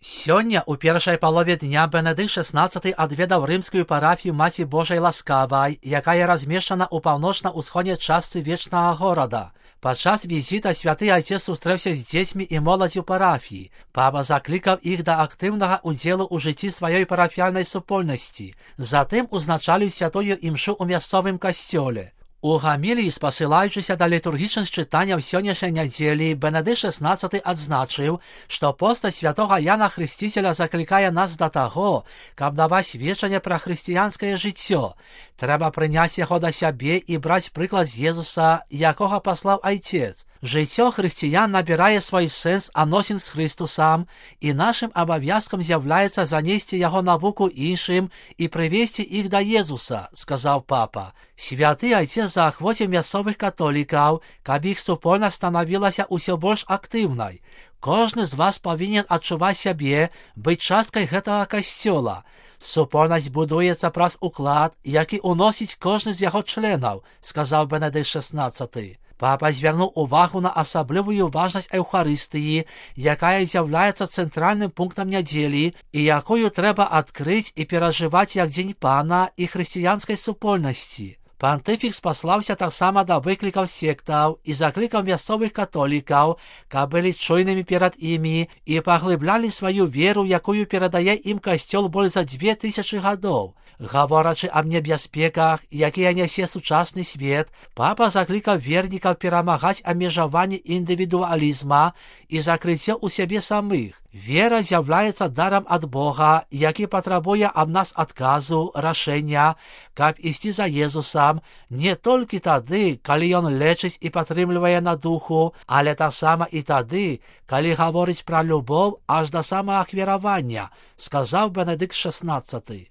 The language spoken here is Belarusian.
Сёння ў першай палове дня Бенедыкт XVI адведаў рымскую парафію Маці Божай Ласкавай, якая размешчана ў паўночна-ўсходняй частцы вечнага горада. Падчас візіта святы айцец сустрэўся з дзецьмі і моладзю парафіі. Папа заклікаў іх да актыўнага ўдзелу ў жыцці сваёй парафіяльнай супольнасці. Затым узначаліў святую імшу ў мясцовым касцёле. У гаміліі, спасылаючыся да літургічных чытанняў сённяшняй нядзелі, Бенедыкт XVI адзначыў, што постаць святога Яна Хрысціцеля заклікае нас да таго, каб даваць сведчанне пра хрысціянскае жыццё. Трэба прыняць яго да сябе і браць прыклад з Езуса, якога паслаў айцец. Жыццё хрысціян набірае свой сэнс адносін з Хрыстусам, і нашым абавязкам з'яўляецца занесці яго навуку іншым і прывесці іх да Езуса, сказаў папа. Святы айцец заахвоціў мясцовых католікаў, каб іх супольнасць станавілася ўсё больш актыўнай. Кожны з вас павінен адчуваць сябе, быць часткай гэтага касцёла. Супольнасць будуецца праз уклад, які ўносіць кожны з яго членаў, сказаў Бенедыкт XVI. Папа звярнуў увагу на асаблівую важнасць Еўхарыстыі, якая з'яўляецца цэнтральным пунктам нядзелі і якую трэба адкрыць і перажываць як дзень Пана і хрысціянскай супольнасці. Пантыфік спаслаўся таксама да выклікаў сектаў і заклікаў мясцовых католікаў, каб былі чуйнымі перад імі і паглыблялі сваю веру, якую перадае ім касцёл больш за 2000 гадоў. Гаворачы аб небяспеках, якія нясе сучасны свет, папа заклікаў вернікаў перамагаць абмежаванне індывідуалізма і закрыццё ў сябе самых. Вера з'яўляецца дарам ад Бога, які патрабуе ад нас адказу, рашэння, каб ісці за Езусам не толькі тады, калі ён лечыць і падтрымлівае на духу, але таксама і тады, калі гаворыць пра любоў аж да самаахвяравання, сказаў Бенедыкт XVI.